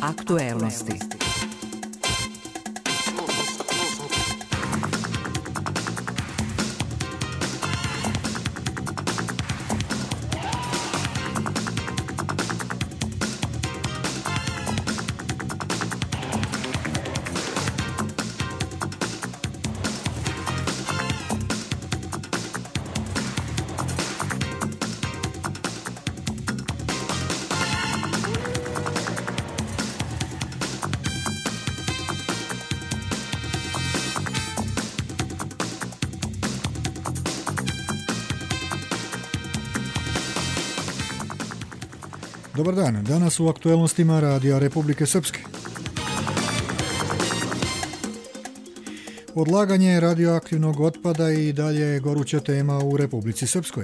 Aktuelnosti. Dobar dan, danas u aktuelnostima Radija Republike Srpske. Odlaganje radioaktivnog otpada i dalje je goruća tema u Republici Srpskoj.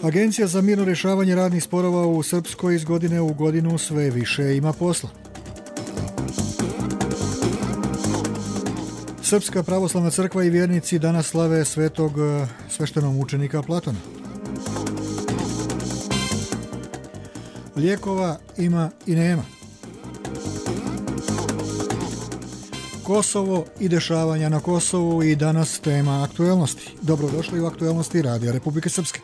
Agencija za mirno rješavanje radnih sporova u Srpskoj iz godine u godinu sve više ima posla. Srpska pravoslavna crkva i vjernici danas slave svetog sveštenomučenika Platona. Lijekova ima i nema. Kosovo i dešavanja na Kosovu i danas tema aktuelnosti. Dobrodošli u aktuelnosti Radija Republike Srpske.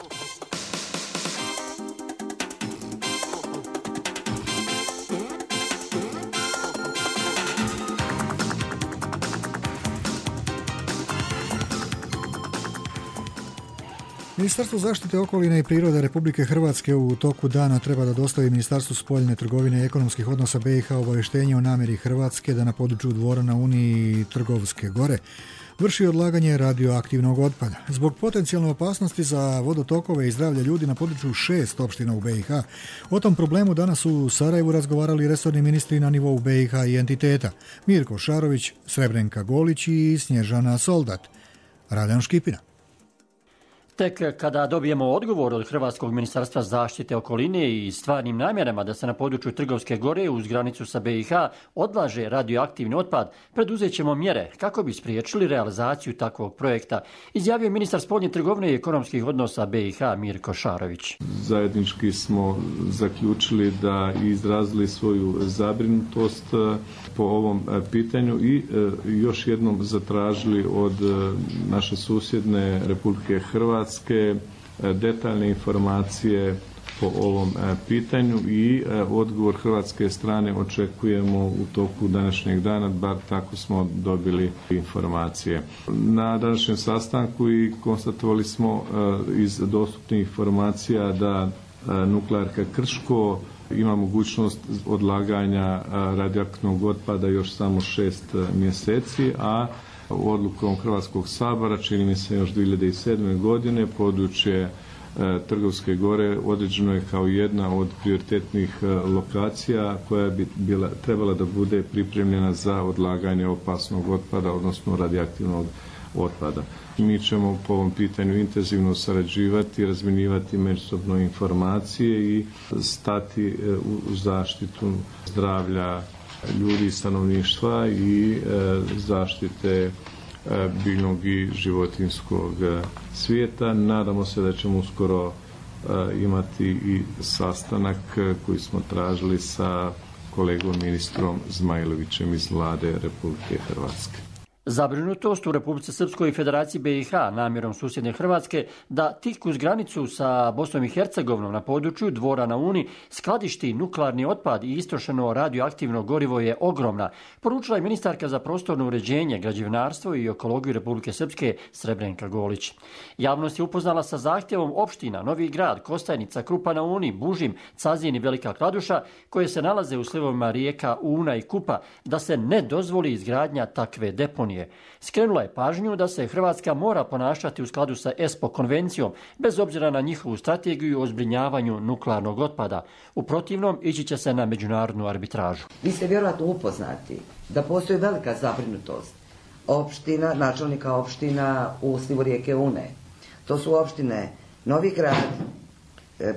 Ministarstvo zaštite okoline i prirode Republike Hrvatske u toku dana treba da dostavi Ministarstvu spoljne trgovine i ekonomskih odnosa BiH obavještenje o namjeri Hrvatske da na području Dvora na Uni i Trgovske gore vrši odlaganje radioaktivnog otpada. Zbog potencijalne opasnosti za vodotokove i zdravlje ljudi na području 6 opština u BiH, o tom problemu danas u Sarajevu razgovarali resorni ministri na nivou BiH i entiteta Mirko Šarović, Srebrenka Golić i Snježana Soldat. Radan Škipina. Tek kada dobijemo odgovor od Hrvatskog ministarstva zaštite okoline i stvarnim namjerama da se na području Trgovske gore uz granicu sa BiH odlaže radioaktivni otpad, preduzet ćemo mjere kako bi spriječili realizaciju takvog projekta, izjavio ministar spoljne trgovine i ekonomskih odnosa BiH Mirko Šarović. Zajednički smo zaključili da izrazili svoju zabrinutost po ovom pitanju i još jednom zatražili od naše susjedne Republike Hrvatske detaljne informacije po ovom pitanju i odgovor hrvatske strane očekujemo u toku današnjeg dana, bar tako smo dobili informacije. Na današnjem sastanku i konstatovali smo iz dostupnih informacija da nuklearka Krško ima mogućnost odlaganja radioaktivnog otpada još samo 6 mjeseci, a odlukom Hrvatskog sabora, čini mi se još 2007. godine, područje Trgovske gore određeno je kao jedna od prioritetnih lokacija koja bi trebala da bude pripremljena za odlaganje opasnog otpada, odnosno radioaktivnog otpada. Mi ćemo po ovom pitanju intenzivno sarađivati, razmjenjivati međusobno informacije i stati u zaštitu zdravlja ljudi i stanovništva i zaštite biljnog i životinjskog svijeta. Nadamo se da ćemo uskoro imati i sastanak koji smo tražili sa kolegom ministrom Zmajlovićem iz Vlade Republike Hrvatske. Zabrinutost u Republici Srpskoj i Federaciji BiH namjerom susjedne Hrvatske da tik uz granicu sa Bosnom i Hercegovinom na području Dvora na Uni skladišti nuklearni otpad i istrošeno radioaktivno gorivo je ogromna, poručila je ministarka za prostorno uređenje, građevinarstvo i ekologiju Republike Srpske Srebrenka Golić. Javnost je upoznala sa zahtjevom opština Novi Grad, Kostajnica, Krupa na Uni, Bužim, Cazin i Velika Kladuša, koje se nalaze u slivovima rijeka Una i Kupa, da se ne dozvoli izgradnja takve deponije. Skrenula je pažnju da se Hrvatska mora ponašati u skladu sa ESPO konvencijom, bez obzira na njihovu strategiju o zbrinjavanju nuklearnog otpada. U protivnom, ići će se na međunarodnu arbitražu. Vi ste vjerojatno upoznati da postoji velika zabrinutost opština, načelnika opština u slivu rijeke Une. To su opštine Novi Grad,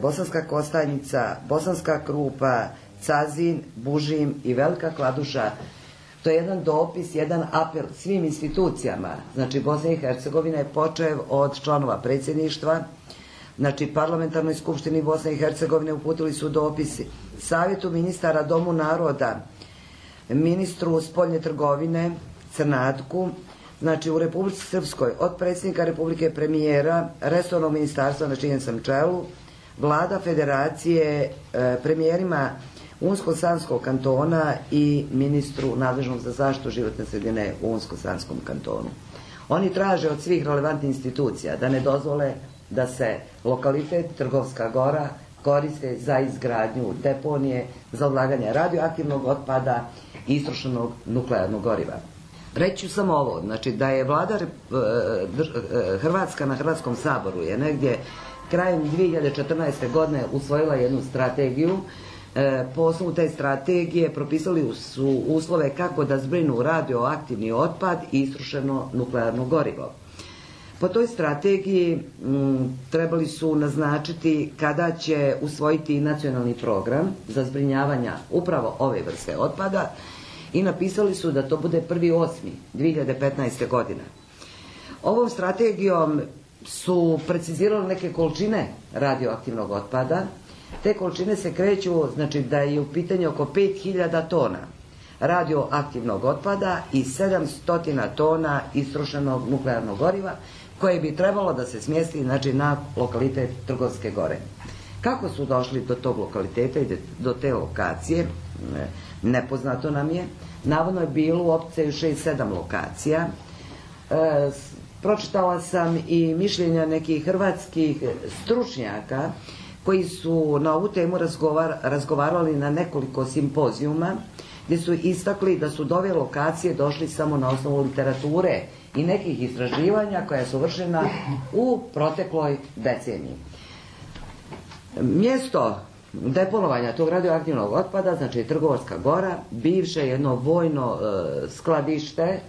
Bosanska Kostajnica, Bosanska Krupa, Cazin, Bužim i Velika Kladuša. To je jedan dopis, jedan apel svim institucijama. Znači, Bosna i Hercegovina je počev od članova predsjedništva, Znači, Parlamentarnoj skupštini Bosne i Hercegovine uputili su dopisi, Savjetu ministara, Domu naroda, ministru spoljne trgovine, Crnatku, znači u Republici Srpskoj, od predsjednika Republike, premijera, resornog ministarstva na čijem sam čelu, vlada federacije, premijerima Unsko-Sanskog kantona i ministru nadležnog za zaštitu životne sredine u Unsko-Sanskom kantonu. Oni traže od svih relevantnih institucija da ne dozvole da se lokalitet Trgovska Gora koriste za izgradnju deponije, za odlaganje radioaktivnog otpada i istrošenog nuklearnog goriva. Reći ću samo ovo, znači da je vlada Hrvatska na Hrvatskom saboru je negdje krajem 2014. godine usvojila jednu strategiju. Po osnovu te strategije propisali su uslove kako da zbrinu radioaktivni otpad i istrošeno nuklearno gorivo. Po toj strategiji trebali su naznačiti kada će usvojiti nacionalni program za zbrinjavanje upravo ove vrste otpada i napisali su da to bude 1.8.2015. godine. Ovom strategijom su precizirali neke količine radioaktivnog otpada. Te količine se kreću, znači da je u pitanju oko 5000 tona radioaktivnog otpada i 700 tona istrošenog nuklearnog goriva koje bi trebalo da se smjesti, znači, na lokalitet Trgovske Gore. Kako su došli do tog lokaliteta i do te lokacije, nepoznato nam je. Navodno je bilo u opciju 6-7 lokacija. Pročitala sam i mišljenja nekih hrvatskih stručnjaka koji su na ovu temu razgovarali na nekoliko simpozijuma, gdje su istakli da su do ove lokacije došli samo na osnovu literature i nekih istraživanja koja su vršena u protekloj deceniji. Mjesto deponovanja tog radioaktivnog otpada, znači Trgovska Gora, bivše jedno vojno skladište,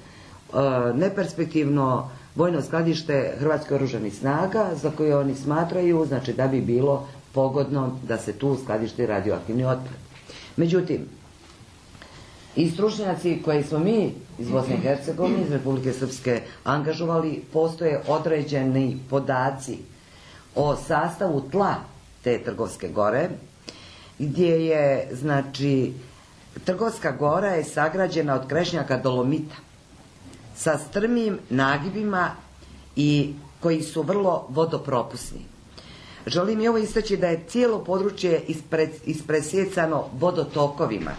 neperspektivno vojno skladište Hrvatskih oružanih snaga, za koje oni smatraju, znači, da bi bilo pogodno da se tu skladišti radioaktivni otpad. Međutim, i stručnjaci koje smo mi iz Bosne i Hercegovine, iz Republike Srpske angažovali, postoje određeni podaci o sastavu tla te Trgovske Gore, gdje je, znači, Trgovska Gora je sagrađena od krešnjaka dolomita sa strmim nagibima i koji su vrlo vodopropusni. Želim i ovo istaći da je cijelo područje ispresjecano vodotokovima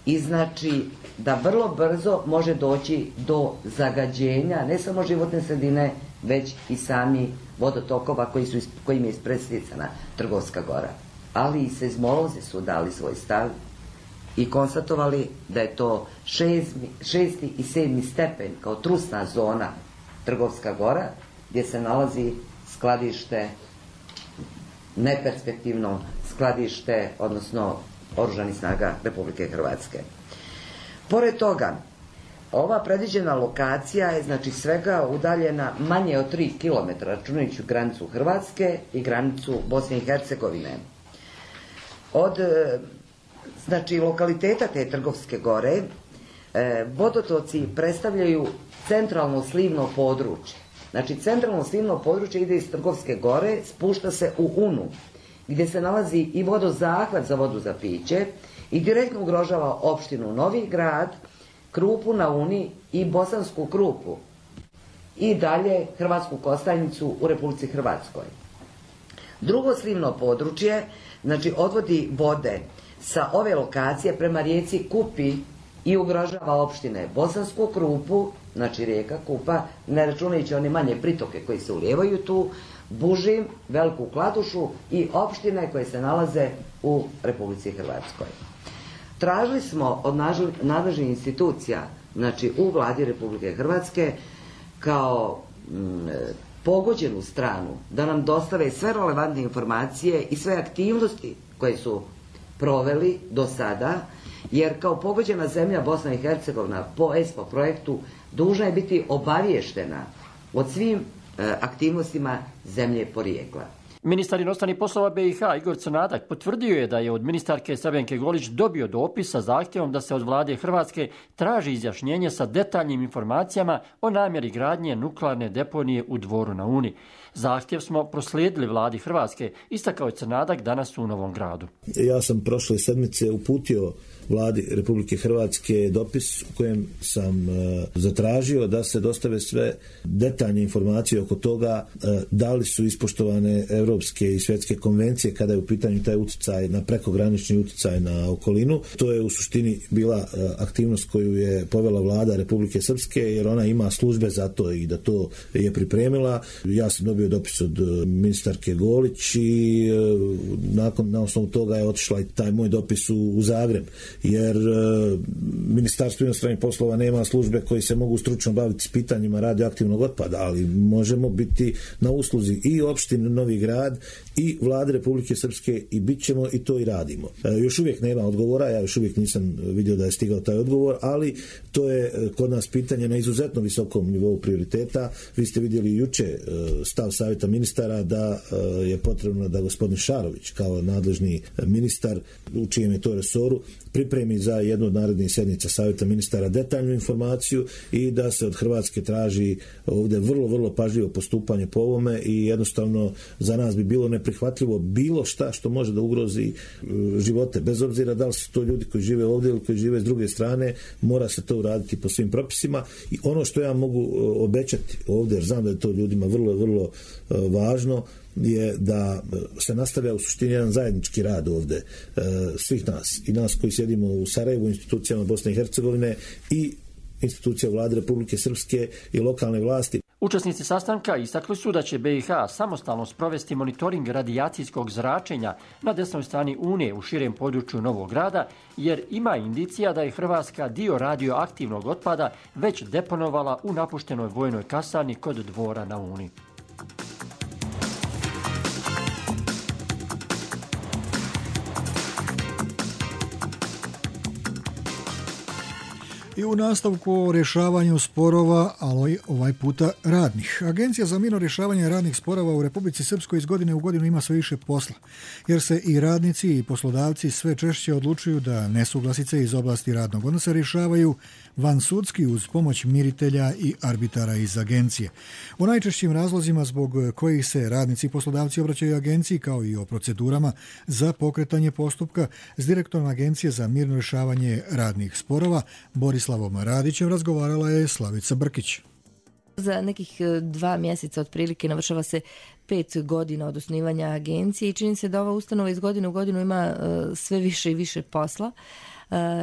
i znači da vrlo brzo može doći do zagađenja ne samo životne sredine, već i sami vodotokova kojim je ispresjecana Trgovska Gora. Ali i seizmolozi su dali svoj stav i konstatovali da je to 6. i 7. stepen kao trusna zona Trgovska Gora, gdje se nalazi skladište, neperspektivno skladište, odnosno Oružanih snaga Republike Hrvatske. Pored toga, ova predviđena lokacija je, znači, svega udaljena manje od 3 km, računajući granicu Hrvatske i granicu Bosne i Hercegovine. Od, znači, lokaliteta te Trgovske Gore, vodotoci predstavljaju centralno slivno područje. Znači, centralno slivno područje ide iz Trgovske Gore, spušta se u Unu, gdje se nalazi i vodozahvat za vodu za piće i direktno ugrožava opštinu Novi Grad, Krupu na Uni i Bosansku Krupu i dalje Hrvatsku Kostajnicu u Republici Hrvatskoj. Drugo slivno područje, znači, odvodi vode sa ove lokacije prema rijeci Kupi i ugrožava opštine Bosansku Krupu, znači rijeka Kupa, ne računajući one manje pritoke koji se ulijevaju tu, Bužim, Veliku Kladušu i opštine koje se nalaze u Republici Hrvatskoj. Tražili smo od nadležnih institucija, znači u vladi Republike Hrvatske, kao pogođenu stranu, da nam dostave sve relevantne informacije i sve aktivnosti koje su proveli do sada, jer kao pogođena zemlja Bosna i Hercegovina po ESPO projektu dužna je biti obaviještena o svim aktivnostima zemlje porijekla. Ministar inostranih poslova BiH Igor Crnadak potvrdio je da je od ministarke Srbenke Golić dobio dopis sa zahtjevom da se od vlade Hrvatske traži izjašnjenje sa detaljnim informacijama o namjeri gradnje nuklearne deponije u Dvoru na Uni. Zahtjev smo proslijedili vladi Hrvatske, istakao je Crnadak danas u Novom Gradu. Ja sam prošle sedmice uputio vladi Republike Hrvatske dopis u kojem sam zatražio da se dostave sve detaljne informacije oko toga da li su ispoštovane europske i svjetske konvencije kada je u pitanju taj utjecaj na prekogranični utjecaj na okolinu. To je u suštini bila aktivnost koju je povela vlada Republike Srpske, jer ona ima službe za to i da to je pripremila. Ja sam dobio dopis od ministarke Golić i na osnovu toga je otišla i taj moj dopis u Zagreb, jer Ministarstvo inostranih poslova nema službe koji se mogu stručno baviti s pitanjima radioaktivnog otpada, ali možemo biti na usluzi i opštine Novi Grad i vlade Republike Srpske i bit ćemo i to i radimo. Još uvijek nema odgovora, ja još uvijek nisam vidio da je stigao taj odgovor, ali to je kod nas pitanje na izuzetno visokom nivou prioriteta. Vi ste vidjeli juče stav Savjeta ministara da je potrebno da gospodin Šarović kao nadležni ministar u čijem je to resoru pripremi za jednu od narednih sjednica Savjeta ministara detaljnu informaciju i da se od Hrvatske traži ovdje vrlo, vrlo pažljivo postupanje po ovome i jednostavno za nas bi bilo neprihvatljivo bilo šta što može da ugrozi živote, bez obzira da li su to ljudi koji žive ovdje ili koji žive s druge strane, mora se to uraditi po svim propisima. I ono što ja mogu obećati ovdje, jer znam da je to ljudima vrlo, vrlo važno, je da se nastavlja u suštini jedan zajednički rad ovdje svih nas i nas koji sjedimo u Sarajevu, institucijama Bosne i Hercegovine i institucija vlade Republike Srpske i lokalne vlasti. Učesnici sastanka istakli su da će BiH samostalno sprovesti monitoring radijacijskog zračenja na desnoj strani Une u širem području Novog Grada, jer ima indicija da je Hrvatska dio radioaktivnog otpada već deponovala u napuštenoj vojnoj kasarni kod Dvora na Uni. I u nastavku o rješavanju sporova, ali ovaj puta radnih. Agencija za mirno rješavanje radnih sporova u Republici Srpskoj iz godine u godinu ima sve više posla, jer se i radnici i poslodavci sve češće odlučuju da nesuglasice iz oblasti radnog odnosa rješavaju vansudski uz pomoć miritelja i arbitara iz agencije. O najčešćim razlozima zbog kojih se radnici i poslodavci obraćaju agenciji, kao i o procedurama za pokretanje postupka, s direktorom Agencije za mirno rješavanje radnih sporova Borislavom Radićem razgovarala je Slavica Brkić. Za nekih 2 mjeseca otprilike navršava se 5 godina od osnivanja agencije i čini se da ova ustanova iz godine u godinu ima sve više i više posla,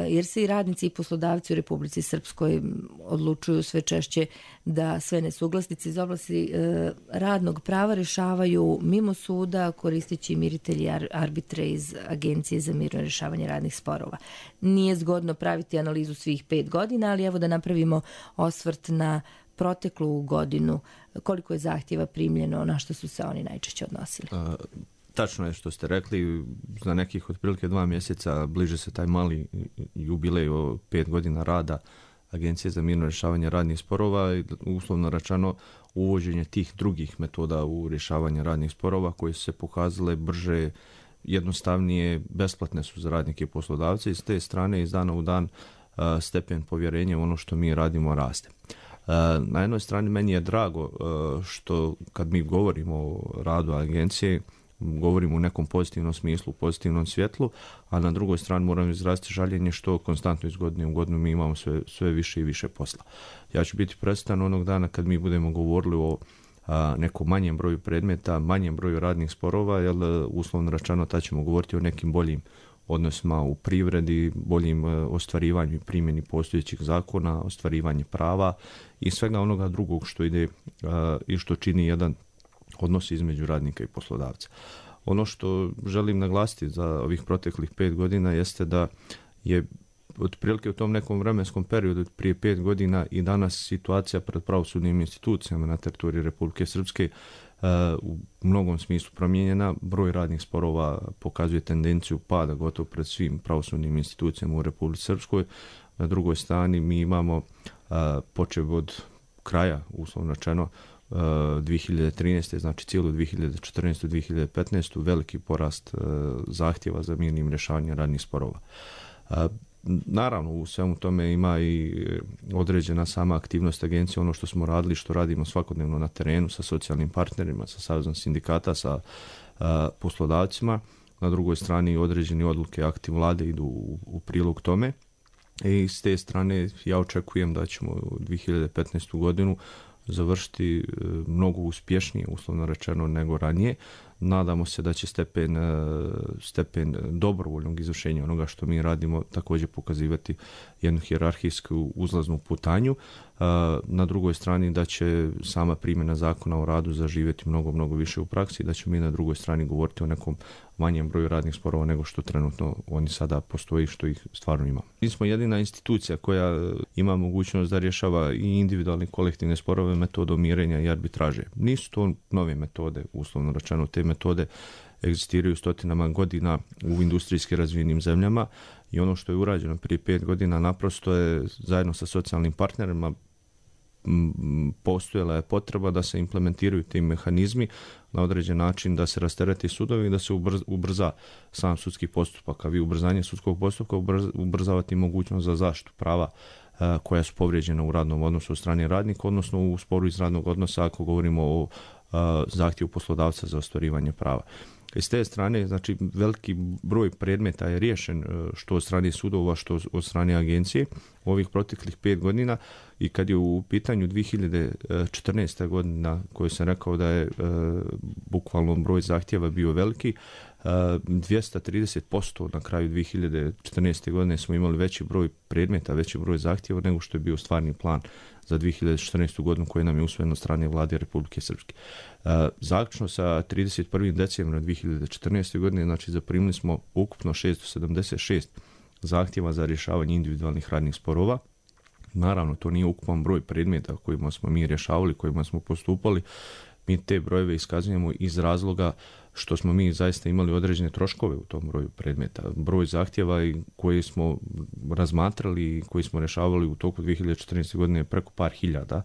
jer se i radnici i poslodavci u Republici Srpskoj odlučuju sve češće da sve nesuglasnice iz oblasti radnog prava rješavaju mimo suda koristeći miritelji i arbitre iz Agencije za mirno rješavanje radnih sporova. Nije zgodno praviti analizu svih 5 godina, ali evo da napravimo osvrt na proteklu godinu. Koliko je zahtjeva primljeno, na što su se oni najčešće odnosili? Tačno je što ste rekli, za nekih otprilike 2 mjeseca bliže se taj mali jubilej o 5 godina rada Agencije za mirno rješavanje radnih sporova i uslovno rečeno uvođenje tih drugih metoda u rješavanje radnih sporova koje su se pokazale brže, jednostavnije, besplatne su za radnike i poslodavce i s te strane iz dana u dan stepen povjerenja u ono što mi radimo raste. Na jednoj strani meni je drago što kad mi govorimo o radu agencije govorimo u nekom pozitivnom smislu, pozitivnom svjetlu, a na drugoj strani moram izraziti žaljenje što konstantno iz godine u godinu mi imamo sve više i više posla. Ja ću biti presretan onog dana kad mi budemo govorili o nekom manjem broju predmeta, manjem broju radnih sporova, jer uslovno rečeno tad ćemo govoriti o nekim boljim odnosima u privredi, boljim ostvarivanju i primjeni postojećih zakona, ostvarivanje prava i svega onoga drugog što ide i što čini jedan odnos između radnika i poslodavca. Ono što želim naglasiti za ovih proteklih 5 godina jeste da je otprilike u tom nekom vremenskom periodu prije 5 godina i danas situacija pred pravosudnim institucijama na teritoriji Republike Srpske u mnogom smislu promijenjena. Broj radnih sporova pokazuje tendenciju pada gotovo pred svim pravosudnim institucijama u Republici Srpskoj. Na drugoj strani mi imamo počev od kraja, uslovno rečeno, 2013. znači cijelu 2014. 2015. veliki porast zahtjeva za mirnim rješavanjem radnih sporova. Naravno, u svemu tome ima i određena sama aktivnost agencije, ono što smo radili, što radimo svakodnevno na terenu sa socijalnim partnerima, sa Savezom sindikata, sa poslodavcima. Na drugoj strani određeni odluke akti vlade idu u prilog tome. I s te strane ja očekujem da ćemo 2015. godinu završiti mnogo uspješnije, uslovno rečeno, nego ranije. Nadamo se da će stepen dobrovoljnog izvršenja onoga što mi radimo također pokazivati jednu hijerarhijsku uzlaznu putanju. Na drugoj strani da će sama primjena zakona o radu zaživjeti mnogo više u praksi i da ćemo mi na drugoj strani govoriti o nekom manjem broju radnih sporova nego što trenutno oni sada postoji, što ih stvarno ima. Mi smo jedina institucija koja ima mogućnost da rješava i individualne kolektivne sporove metodom mirenja i arbitraže. Nisu to nove metode, uslovno rečeno, te metode egzistiraju stotinama godina u industrijski razvijenim zemljama i ono što je urađeno prije 5 godina naprosto je zajedno sa socijalnim partnerima postojala je potreba da se implementiraju ti mehanizmi na određen način, da se rastereti sudovi i da se ubrza sam sudski postupak, a vi ubrzanje sudskog postupka ubrzavati mogućnost za zaštitu prava koja su povrijeđena u radnom odnosu od strane radnika, odnosno u sporu iz radnog odnosa ako govorimo o zahtjevu poslodavca za ostvarivanje prava. I s te strane, znači, veliki broj predmeta je riješen što od strane sudova, što od strane agencije u ovih proteklih 5 godina i kad je u pitanju 2014. godina koju sam rekao da je bukvalno broj zahtjeva bio veliki, 230% na kraju 2014. godine smo imali veći broj predmeta, veći broj zahtjeva nego što je bio stvarni plan za 2014. godinu koji nam je usvojen od strane vlade Republike Srpske. Zaključno sa 31. decembrom 2014. godine, znači zaprimili smo ukupno 676 zahtjeva za rješavanje individualnih radnih sporova. Naravno, to nije ukupan broj predmeta kojima smo mi rješavali, kojima smo postupali. Mi te brojeve iskazujemo iz razloga što smo mi zaista imali određene troškove u tom broju predmeta. Broj zahtjeva koje smo razmatrali i koji smo rješavali u toku 2014. godine je preko par hiljada.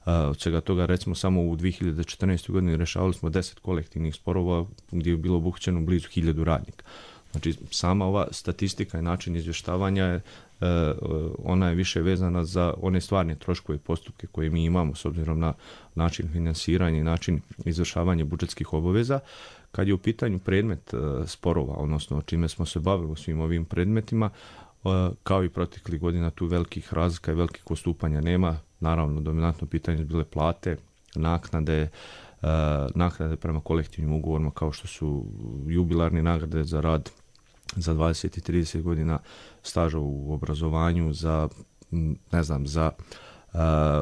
Od svega toga, recimo, samo u 2014. godini rješavali smo 10 kolektivnih sporova gdje je bilo obuhvaćeno blizu 1000 radnika. Znači, sama ova statistika i način izvještavanja je ona je više vezana za one stvarne troškove i postupke koje mi imamo s obzirom na način finansiranja i način izvršavanja budžetskih obaveza. Kad je u pitanju predmet sporova, odnosno čime smo se bavili u svim ovim predmetima, kao i proteklih godina tu velikih razlika i velikih odstupanja nema. Naravno, dominantno pitanje su bile plate, naknade prema kolektivnim ugovorima kao što su jubilarne nagrade za rad za 20 i 30 godina staža u obrazovanju, za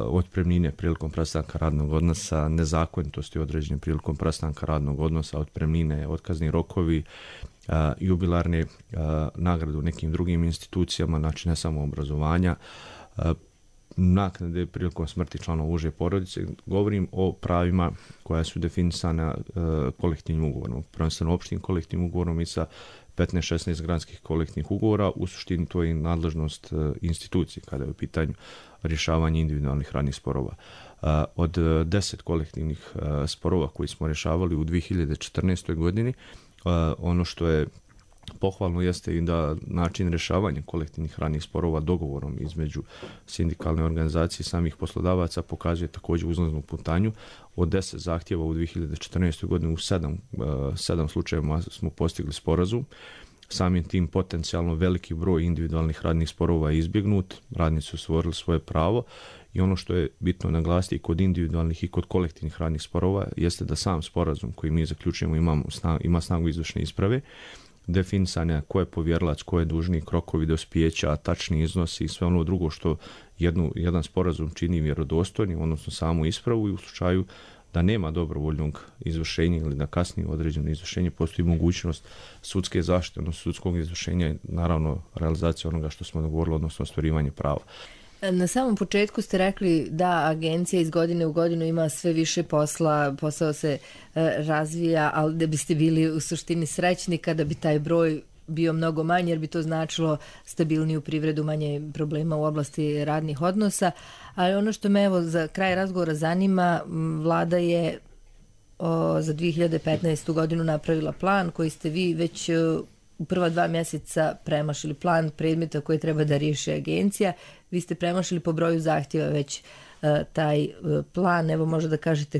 otpremnine prilikom prestanka radnog odnosa, nezakonitosti određene prilikom prestanka radnog odnosa, otpremnine, otkazni rokovi, jubilarne nagrade u nekim drugim institucijama, znači ne samo obrazovanja, naknade prilikom smrti članova uže porodice. Govorim o pravima koja su definisana kolektivnim ugovorom, prvenstveno opštim kolektivnim ugovorom i sa 15-16 granskih kolektivnih ugovora. U suštini to je nadležnost institucije kada je u pitanju rješavanje individualnih radnih sporova. Od 10 kolektivnih sporova koji smo rješavali u 2014. godini, ono što je pohvalno jeste i da način rješavanja kolektivnih radnih sporova dogovorom između sindikalne organizacije i samih poslodavaca pokazuje također uzlaznu putanju. Od 10 zahtjeva u 2014. godini u 7 slučajeva smo postigli sporazum. Samim tim potencijalno veliki broj individualnih radnih sporova je izbjegnut, radnici su stvorili svoje pravo i ono što je bitno naglasiti i kod individualnih i kod kolektivnih radnih sporova jeste da sam sporazum koji mi zaključujemo ima snagu izvršne isprave, definisanja ko je povjerilac, ko je dužnik, rokovi dospijeća, tačni iznosi i sve ono drugo što jedan sporazum čini vjerodostojnim, odnosno samu ispravu, i u slučaju da nema dobrovoljnog izvršenja ili da kasnije određeno izvršenje, postoji mogućnost sudske zaštite, odnosno sudskog izvršenja i naravno realizacija onoga što smo dogovorili, odnosno ostvarivanje prava. Na samom početku ste rekli da agencija iz godine u godinu ima sve više posao se razvija, ali da biste bili u suštini srećni kada bi taj broj bio mnogo manji jer bi to značilo stabilniju privredu, manje problema u oblasti radnih odnosa. Ali ono što me evo za kraj razgovora zanima, vlada je za 2015. godinu napravila plan koji ste vi već u prva 2 mjeseca premašili, plan predmeta koje treba da riješi agencija. Vi ste premašili po broju zahtjeva već taj plan. Evo možda da kažete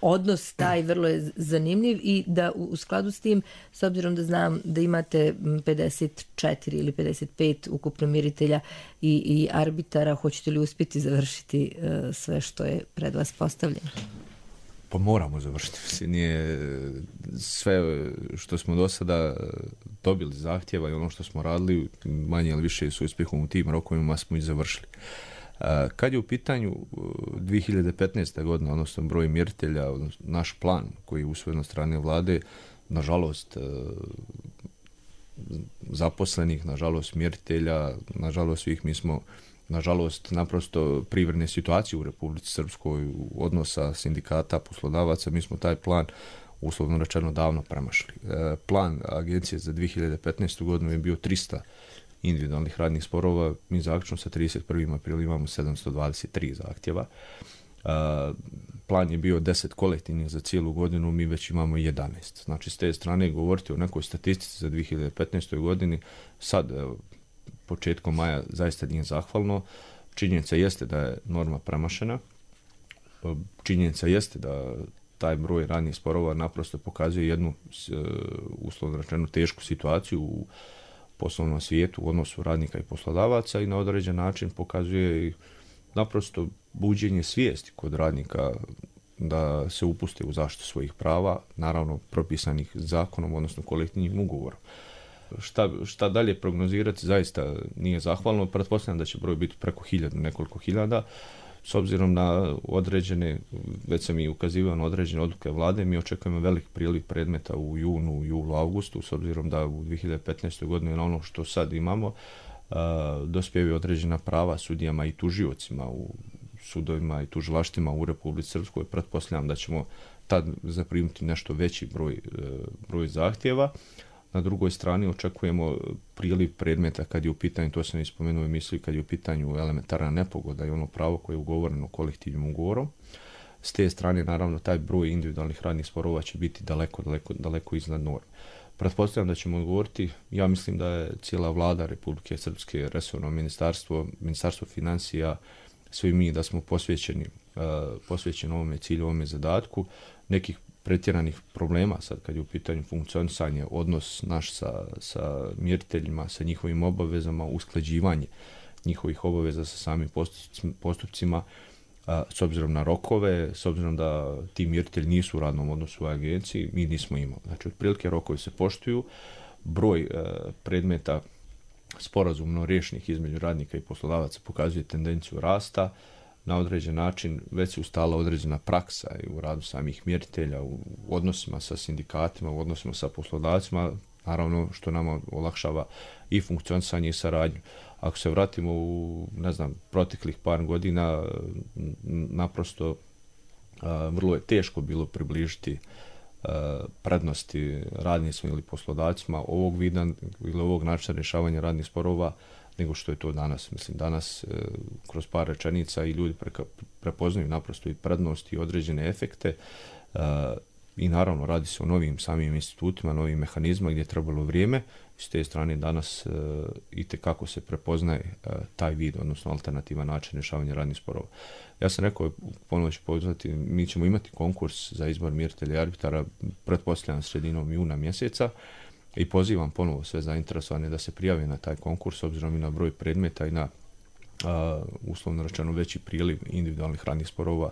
odnos taj vrlo je zanimljiv i da u skladu s tim, s obzirom da znam da imate 54 ili 55 ukupno miritelja i arbitara, hoćete li uspjeti završiti sve što je pred vas postavljeno? Pa moramo završiti. Nije sve što smo do sada dobili zahtjeva i ono što smo radili, manje ili više s uspjehom u tim rokovima smo i završili. Kad je u pitanju 2015. godina, odnosno broj mjeritelja, naš plan koji je usvojen od strane vlade, nažalost zaposlenih, nažalost mjeritelja, nažalost svih, mi smo nažalost naprosto privredne situacije u Republici Srpskoj, odnosa sindikata, poslodavaca, mi smo taj plan uslovno rečeno davno premašili. Plan agencije za 2015. godinu je bio 300 individualnih radnih sporova, mi zaključno sa 31. aprila imamo 723 zahtjeva. Plan je bio 10 kolektivnih za cijelu godinu, mi već imamo 11. Znači, s te strane govoriti o nekoj statistici za 2015. godini, sad, početkom maja, zaista nije zahvalno. Činjenica jeste da je norma premašena. Činjenica jeste da taj broj radnih sporova naprosto pokazuje jednu, uslovno rečeno, tešku situaciju u poslovnom svijetu u odnosu radnika i poslodavaca i na određen način pokazuje i naprosto buđenje svijesti kod radnika da se upuste u zaštitu svojih prava, naravno propisanih zakonom, odnosno kolektivnim ugovorom. Šta dalje prognozirati zaista nije zahvalno. Pretpostavljam da će broj biti preko 1000, nekoliko hiljada. S obzirom na određene, već sam i ukazivao na određene odluke vlade, mi očekujemo velik priliv predmeta u junu, julu, augustu, s obzirom da u 2015. godini na ono što sad imamo dospijevaju određena prava sudijama i tužiocima u sudovima i tužilaštvima u Republici Srpskoj. Pretpostavljam da ćemo tad zaprimiti nešto veći broj zahtjeva. Na drugoj strani očekujemo priliv predmeta kad je u pitanju, to sam ispomenuo u emisiji, kad je u pitanju elementarna nepogoda i ono pravo koje je ugovoreno kolektivnim ugovorom. S te strane, naravno, taj broj individualnih radnih sporova će biti daleko iznad norme. Pretpostavljam da ćemo odgovoriti, ja mislim da je cijela vlada Republike Srpske, resorno ministarstvo financija, svi mi da smo posvećeni ovome cilju, ovome zadatku. Nekih pretjeranih problema sad kad je u pitanju funkcionisanje, odnos naš sa mjeriteljima, sa njihovim obavezama, usklađivanje njihovih obaveza sa samim postupcima, s obzirom na rokove, s obzirom da ti mjeritelji nisu u radnom odnosu u agenciji, mi nismo imali. Znači, otprilike rokovi se poštuju, broj predmeta sporazumno riješenih između radnika i poslodavaca pokazuje tendenciju rasta. Na određen način već se ustala određena praksa i u radu samih mjeritelja, u odnosima sa sindikatima, u odnosima sa poslodavcima, naravno što nama olakšava i funkcionisanje i saradnju. Ako se vratimo u, proteklih par godina, naprosto vrlo je teško bilo približiti prednosti radnicima ili poslodavcima ovog vida ili ovog načina rješavanja radnih sporova nego što je to danas. Mislim, danas kroz par rečenica i ljudi prepoznaju naprosto i prednosti i određene efekte i naravno radi se o novim samim institutima, novim mehanizmima gdje je trebalo vrijeme. S te strane danas itekako se prepoznaje taj vid, odnosno alternativan način rješavanja radnih sporova. Ja sam rekao, ponovno ću pozvati, mi ćemo imati konkurs za izbor mjeritelja i arbitara, pretpostavljam sredinom juna mjeseca, i pozivam ponovo sve zainteresovane da se prijave na taj konkurs, obzirom i na broj predmeta i na uslovno rečeno veći priliv individualnih radnih sporova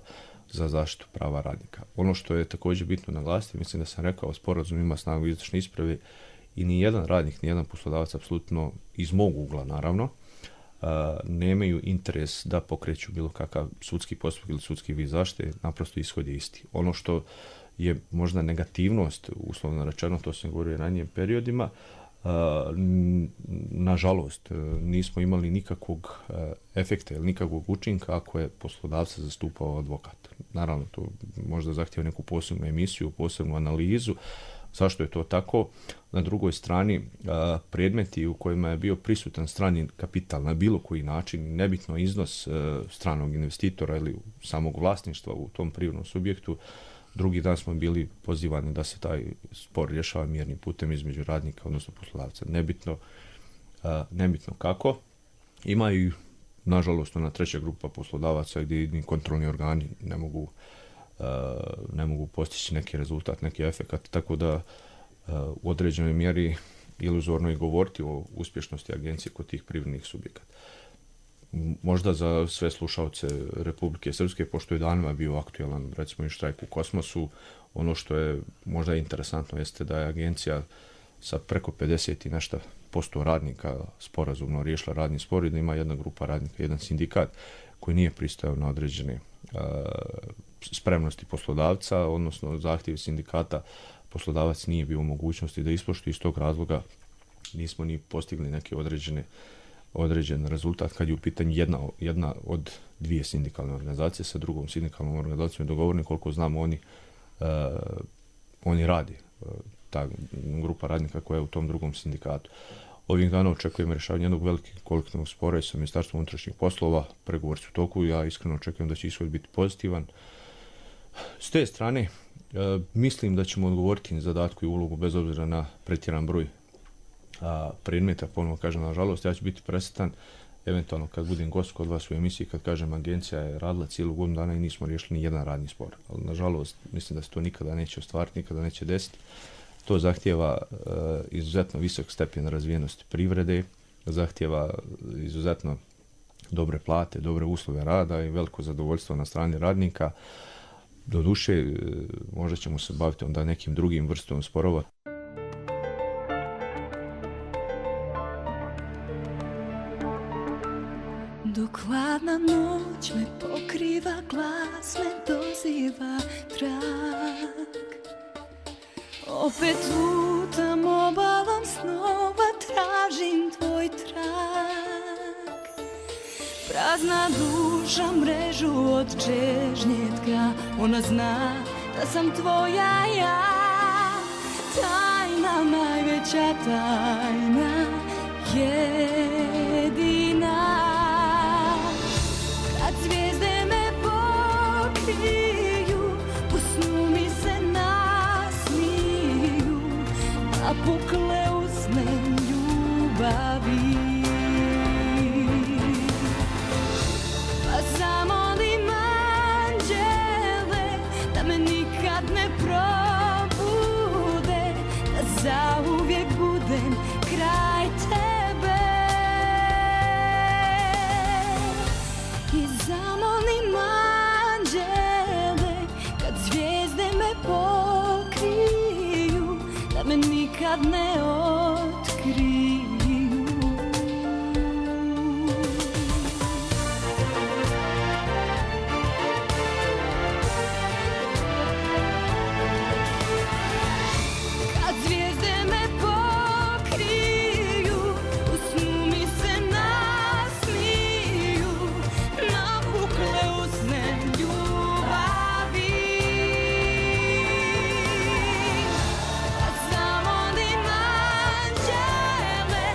za zaštitu prava radnika. Ono što je također bitno naglasiti, mislim da sam rekao, sporazum ima snagu izvršne isprave i nijedan radnik, nijedan poslodavac, apsolutno iz mog ugla naravno, nemaju interes da pokreću bilo kakav sudski postupak ili sudski vid zaštite, naprosto ishod je isti. Ono što je možda negativnost, uslovno rečeno, to sam govorio u ranijim periodima, nažalost nismo imali nikakvog efekta ili nikakvog učinka ako je poslodavca zastupao advokat. Naravno, to možda zahtjeva neku posebnu emisiju, posebnu analizu, Zašto je to tako? Na drugoj strani, predmeti u kojima je bio prisutan strani kapital na bilo koji način, nebitno iznos stranog investitora ili samog vlasništva u tom privrednom subjektu, drugi dan smo bili pozivani da se taj spor rješava mirnim putem između radnika, odnosno poslodavca. Nebitno kako. Ima i, nažalost, ona treća grupa poslodavaca gdje ni kontrolni organi ne mogu postići neki rezultat, neki efekat, tako da u određenoj mjeri iluzorno je govoriti o uspješnosti agencije kod tih privrednih subjekata. Možda za sve slušalce Republike Srpske, pošto je danima bio aktualan, recimo i štrajk u Kosmosu, ono što je možda interesantno jeste da je agencija sa preko 50 i nešto % radnika sporazumno riješila radni spor i da ima jedna grupa radnika, jedan sindikat koji nije pristajao na određene spremnosti poslodavca, odnosno zahtjev sindikata, poslodavac nije bio u mogućnosti da ispoštuje, iz tog razloga nismo ni postigli neke određen rezultat kad je u pitanju jedna od dvije sindikalne organizacije sa drugom sindikalnom organizacijom dogovorni, koliko znamo oni radi, ta grupa radnika koja je u tom drugom sindikatu. Ovih dana očekujemo rješavanje jednog velikog kolektivnog spora i sa Ministarstvom unutrašnjih poslova, pregovori su u toku, ja iskreno očekujem da će ishod biti pozitivan. S te strane, mislim da ćemo odgovoriti na zadatku i ulogu bez obzira na pretjeran broj predmeta, ponovno kažem, nažalost, ja ću biti presretan eventualno kad budem gost kod vas u emisiji, kad kažem agencija je radila cijelu godinu dana i nismo riješili ni jedan radni spor. Ali nažalost, mislim da se to nikada neće ostvariti, nikada neće desiti. To zahtijeva izuzetno visok stepen razvijenosti privrede, zahtijeva izuzetno dobre plate, dobre uslove rada i veliko zadovoljstvo na strani radnika. Doduše, možda ćemo se baviti onda nekim drugim vrstom sporova. Dok hladna noć me pokriva, glas me doziva trag. Opet lutam obalom snova, tražim tvoj trag. Prazna duša mrežu od čežnje tka, ona zna da sam tvoja ja. Tajna, najveća tajna, jedina. Kad zvijezde me pokriju, u snu mi se nasmiju, napukle usne ljubavi. Pa zamolim anđele da me nikad ne probude, da zauvijek budem kraj tebe. I zamolim anđele kad zvijezde me pokriju, da me nikad ne otkriju. Kad zvijezde me pokriju, u snu mi se nasmiju, napukle usne ljubavi. Pa zamolim anđele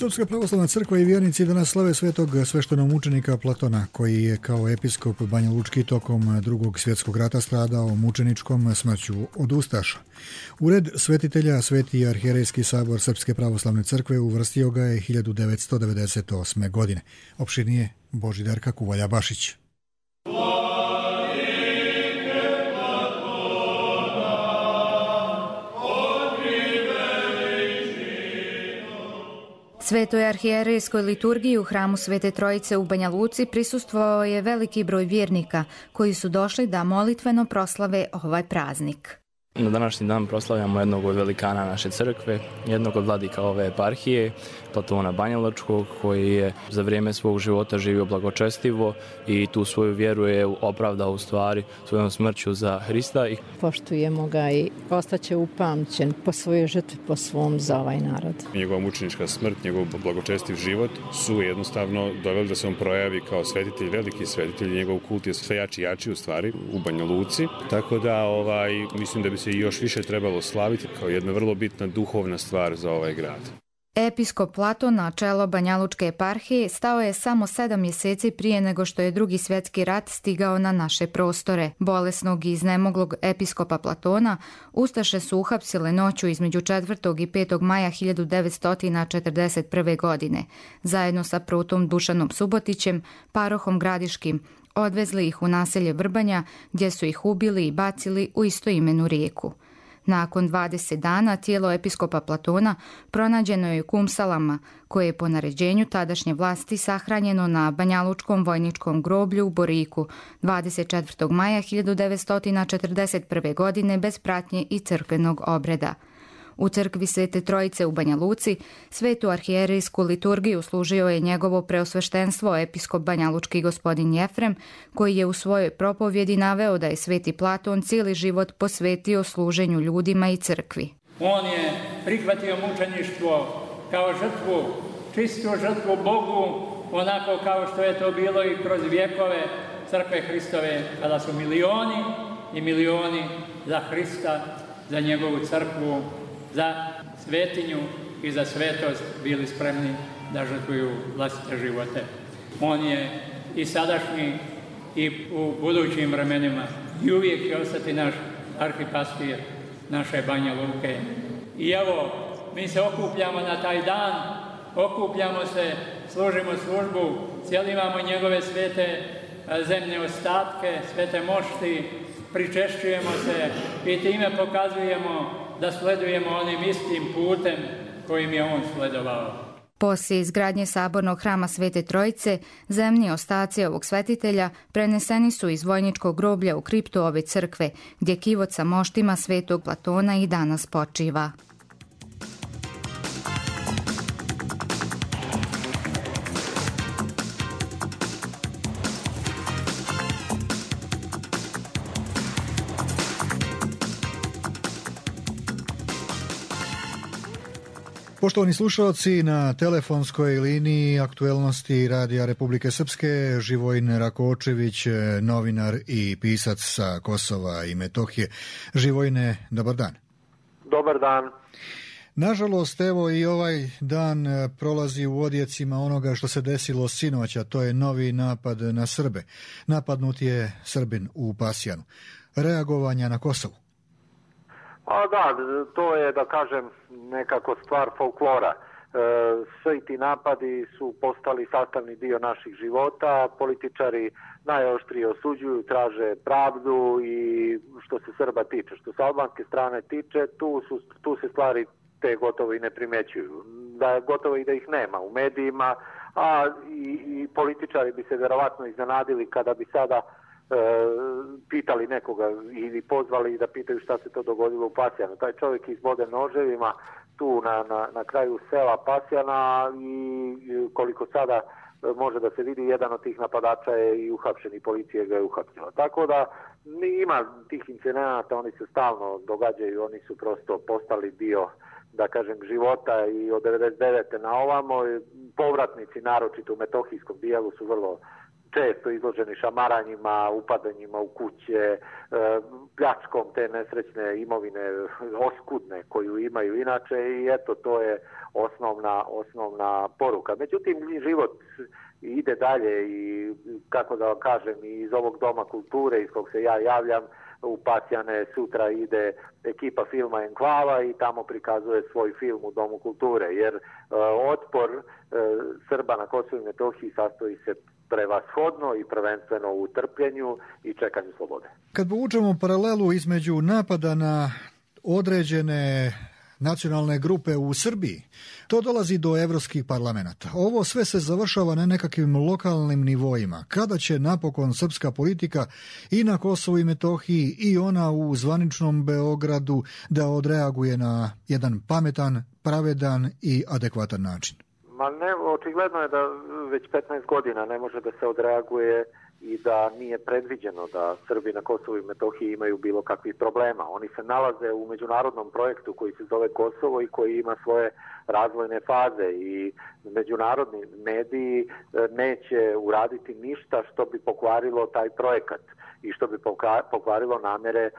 Srpska pravoslavna crkva i vjernici danas slave svetog sveštenomučenika Platona, koji je kao episkop Banja Lučki tokom Drugog svjetskog rata stradao mučeničkom smrću od ustaša. U red svetitelja Sveti arhijerejski sabor Srpske pravoslavne crkve uvrstio ga je 1998. godine. Opširnije Božidarka Kuvalja-Bašić. Svetoj arhijerejskoj liturgiji u hramu Svete Trojice u Banja Luci prisustvovao je veliki broj vjernika koji su došli da molitveno proslave ovaj praznik. Na današnji dan proslavljamo jednog od velikana naše crkve, jednog od vladika ove eparhije, Platona Banjalučkog, koji je za vrijeme svog života živio blagočestivo i tu svoju vjeru je opravdao u stvari svojom smrću za Hrista. Poštujemo ga i ostaće upamćen po svojoj žrtvi, po svom za ovaj narod. Njegova mučenička smrt, njegov blagočestiv život su jednostavno doveli da se on projavi kao svetitelj, veliki svetitelj, njegov kult je sve jači i jači u stvari u Banja Luci. Tako da mislim da bi se još više trebalo slaviti kao jedna vrlo bitna duhovna stvar za ovaj grad. Episkop Platon na čelo Banjalučke eparhije stao je samo 7 mjeseci prije nego što je Drugi svjetski rat stigao na naše prostore. Bolesnog i iznemoglog episkopa Platona ustaše su uhapsile noću između 4. i 5. maja 1941. godine. Zajedno sa prutom Dušanom Subotićem, parohom Gradiškim, odvezli ih u naselje Vrbanja, gdje su ih ubili i bacili u istoimenu rijeku. Nakon 20 dana tijelo episkopa Platona pronađeno je u Kumsalama, koje je po naređenju tadašnje vlasti sahranjeno na Banjalučkom vojničkom groblju u Boriku 24. maja 1941. godine bez pratnje i crkvenog obreda. U crkvi Svete Trojice u Banja Luci svetu arhijerejsku liturgiju služio je njegovo preosveštenstvo episkop banjalučki gospodin Jefrem, koji je u svojoj propovjedi naveo da je sveti Platon cijeli život posvetio služenju ljudima i crkvi. On je prihvatio mučeništvo kao žrtvu, čistu žrtvu Bogu, onako kao što je to bilo i kroz vjekove crkve Hristove, kada su milioni i milioni za Hrista, za njegovu crkvu, za svetinju i za svetost bili spremni da žrtvuju vlastite živote. On je i sadašnji i u budućim vremenima i uvijek će ostati naš arhipastir naše Banja Luke. I evo, mi se okupljamo na taj dan, okupljamo se, služimo službu, cijelivamo njegove svete zemne ostatke, svete mošti, pričešćujemo se i time pokazujemo da sledujemo onim istim putem kojim je on sledovao. Poslije izgradnje sabornog hrama Svete Trojice, zemni ostaci ovog svetitelja preneseni su iz vojničkog groblja u kriptu ove crkve, gdje kivot sa moštima Svetog Platona i danas počiva. Poštovani slušalci, na telefonskoj liniji aktuelnosti Radija Republike Srpske Živojin Rakočević, novinar i pisac sa Kosova i Metohije. Živojine, dobar dan. Dobar dan. Nažalost, evo i ovaj dan prolazi u odjecima onoga što se desilo sinoć, a to je novi napad na Srbe. Napadnut je Srbin u Pasjanu. Reagovanja na Kosovu? A da, to je, da kažem, nekako stvar folklora. Svi ti napadi su postali sastavni dio naših života, političari najoštrije osuđuju, traže pravdu i što se Srba tiče. Što se albanske strane tiče, tu se stvari te gotovo i ne primećuju. Da gotovo i da ih nema u medijima, a i političari bi se vjerovatno iznenadili kada bi sada pitali nekoga ili pozvali da pitaju šta se to dogodilo u Pasjanu. Taj čovjek izbode noževima tu na kraju sela Pasjana i koliko sada može da se vidi, jedan od tih napadača je i uhapšen i policija ga je uhapsila. Tako da ima tih incidenata, oni se stalno događaju, oni su prosto postali dio, da kažem, života i od 99. na ovamo povratnici, naročito u metohijskom dijelu, su vrlo često izloženi šamaranjima, upadanjima u kuće, pljačkom te nesrećne imovine oskudne koju imaju inače i eto to je osnovna poruka. Međutim, život ide dalje i kako da vam kažem, iz ovog doma kulture iz kog se ja javljam u Pasjane sutra ide ekipa filma Enklava i tamo prikazuje svoj film u Domu kulture, jer otpor Srba na Kosovu i Metohiji sastoji se prevashodno i prvenstveno u trpljenju i čekanju slobode. Kad povučemo paralelu između napada na određene nacionalne grupe u Srbiji, to dolazi do evropskih parlamenta. Ovo sve se završava na nekakvim lokalnim nivoima. Kada će napokon srpska politika i na Kosovu i Metohiji i ona u zvaničnom Beogradu da odreaguje na jedan pametan, pravedan i adekvatan način? Ma ne, očigledno je da već 15 godina ne može da se odreaguje i da nije predviđeno da Srbi na Kosovu i Metohiji imaju bilo kakvih problema. Oni se nalaze u međunarodnom projektu koji se zove Kosovo i koji ima svoje razvojne faze i međunarodni mediji neće uraditi ništa što bi pokvarilo taj projekat i što bi pokvarilo namere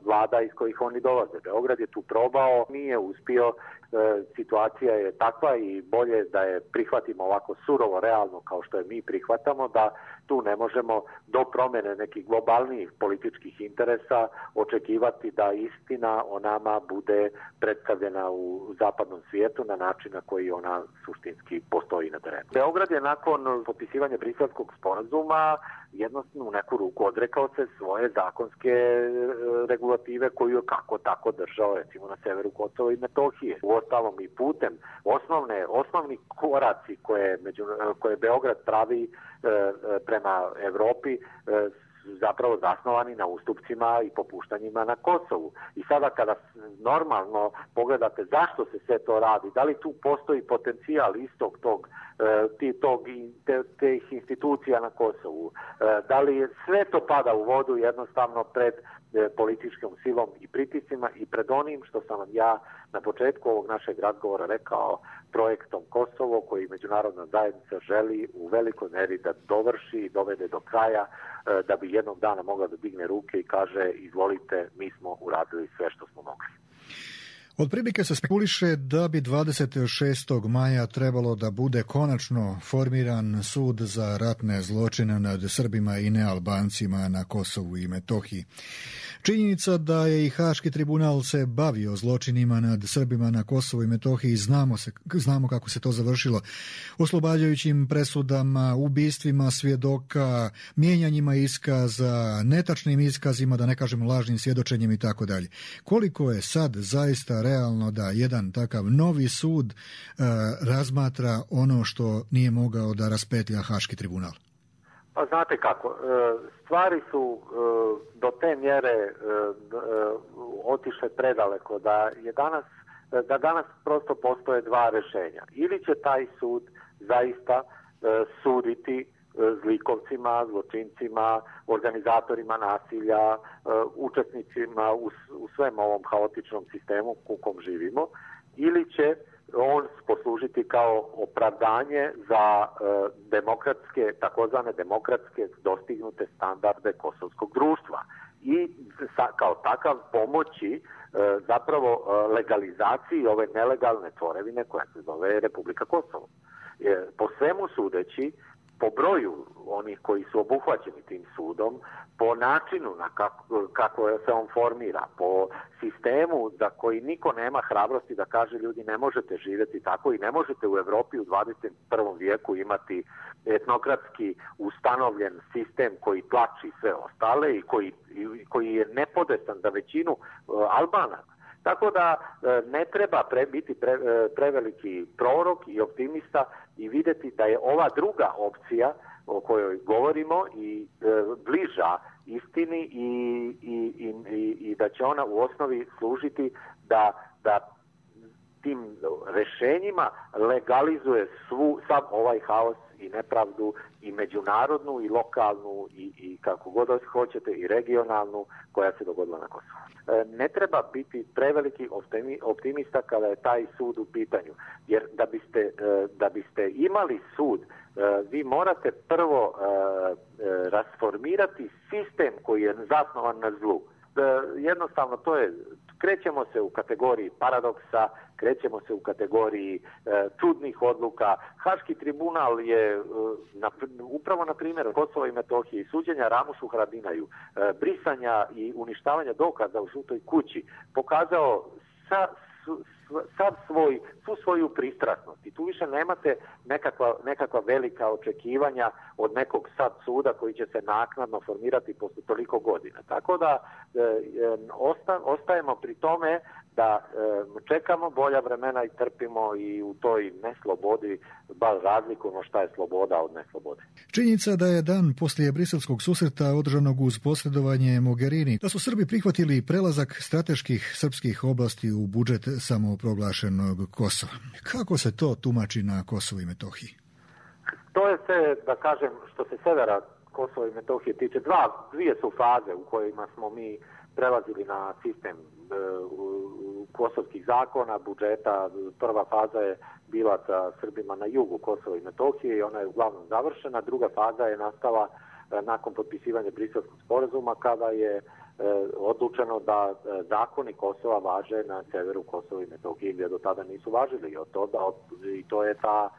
vlada iz kojih oni dolaze. Beograd je tu probao, nije uspio, situacija je takva i bolje da je prihvatimo ovako surovo, realno kao što je mi prihvatamo, da tu ne možemo do promjene nekih globalnijih političkih interesa očekivati da istina o nama bude predstavljena u zapadnom svijetu na način na koji ona suštinski postoji na terenu. Beograd je nakon potpisivanja Briselskog sporazuma jednostavno u neku ruku odrekao se svoje zakonske regulative koju je kako tako držao recimo na severu Kosova i Metohije. Uostalom i putem osnovni koraci koje Beograd pravi prema Evropi zapravo zasnovani na ustupcima i popuštanjima na Kosovu. I sada kada normalno pogledate zašto se sve to radi, da li tu postoji potencijal istog tih institucija na Kosovu, da li sve to pada u vodu jednostavno pred političkom silom i pritiscima i pred onim što sam vam ja na početku ovog našeg razgovora rekao, projektom Kosovo koji međunarodna zajednica želi u velikoj meri da dovrši i dovede do kraja da bi jednog dana mogla da digne ruke i kaže izvolite, mi smo uradili sve što smo mogli. Otprilike se spekuliše da bi 26. maja trebalo da bude konačno formiran sud za ratne zločine nad Srbima i nealbancima na Kosovu i Metohiji. Činjenica da je i Haški tribunal se bavio zločinima nad Srbima na Kosovu i Metohiji, znamo kako se to završilo, oslobađajućim presudama, ubistvima svjedoka, mijenjanjima iskaza, netačnim iskazima, da ne kažem lažnim svjedočenjem i tako dalje. Koliko je sad zaista realno da jedan takav novi sud razmatra ono što nije mogao da raspetlja Haški tribunal? Pa znate kako, stvari su do te mjere otišle predaleko da danas prosto postoje dva rješenja. Ili će taj sud zaista suditi zlikovcima, zločincima, organizatorima nasilja, učesnicima u svem ovom haotičnom sistemu u kom živimo, ili će on poslužiti kao opravdanje za demokratske, takozvane demokratske dostignute standarde kosovskog društva i kao takav pomoći zapravo legalizaciji ove nelegalne tvorevine koja se zove Republika Kosovo. Po svemu sudeći, po broju onih koji su obuhvaćeni tim sudom, po načinu kako se on formira, po sistemu za koji niko nema hrabrosti da kaže ljudi ne možete živjeti tako i ne možete u Europi u 21. vijeku imati etnokratski ustanovljen sistem koji tlači sve ostale i koji je nepodestan za većinu Albana. Tako da ne treba biti preveliki prorok i optimista i vidjeti da je ova druga opcija o kojoj govorimo i bliža istini i da će ona u osnovi služiti da tim rješenjima legalizuje sav ovaj haos i nepravdu i međunarodnu i lokalnu i kako god hoćete i regionalnu koja se dogodila na Kosovu. Ne treba biti preveliki optimista kada je taj sud u pitanju, jer da biste imali sud vi morate prvo rasformirati sistem koji je zasnovan na zlu. Jednostavno to je, krećemo se u kategoriji paradoksa, krećemo se u kategoriji čudnih odluka. Haški tribunal je upravo na primjeru Kosova i Metohije i suđenja Ramušu Haradinaju, brisanja i uništavanja dokaza u Žutoj kući pokazao svu svoju pristrasnost i tu više nemate nekakva velika očekivanja od nekog sad suda koji će se naknadno formirati posle toliko godina. Tako da ostajemo pri tome da čekamo bolja vremena i trpimo i u toj neslobodi baš razlikujemo šta je sloboda od neslobode. Činjenica da je dan poslije briselskog susreta održanog uz posredovanje Mogherini, da su Srbi prihvatili prelazak strateških srpskih oblasti u budžet samoproglašenog Kosova. Kako se to tumači na Kosovu i Metohiji? To je sve, da kažem, što se severa Kosova i Metohije tiče, dvije su faze u kojima smo mi prelazili na sistem kosovskih zakona, budžeta. Prva faza je bila sa Srbima na jugu Kosova i Metohije i ona je uglavnom završena. Druga faza je nastala nakon potpisivanja Briselskog sporazuma kada je odlučeno da zakoni Kosova važe na severu Kosova i Metohije gdje do tada nisu važili. I to je ta,